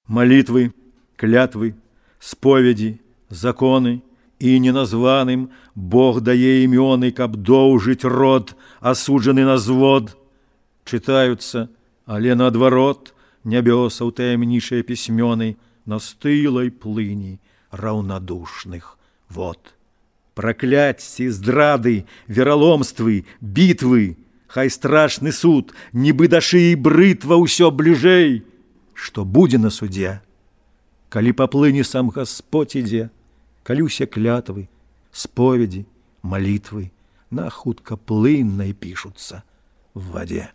Молитвы, клятвы, споведи, законы, и неназваным Бог дае имены, каб доўжыць род, асуджаны на звод. Чытаюцца, але наадварот, нябёсаў таямнічыя пісьмёны на стылай плыні раўнадушных вод. Пракляцці, здрады, вераломствы, бітвы, хай страшны суд, нібы да шыі брытва ўсё бліжэй. Што будзе на судзе? Калі паплыне сам Гасподзь ідзе, калі ўсе клятвы, споведзі, малітвы на хуткаплыннай пішуцца в вадзе.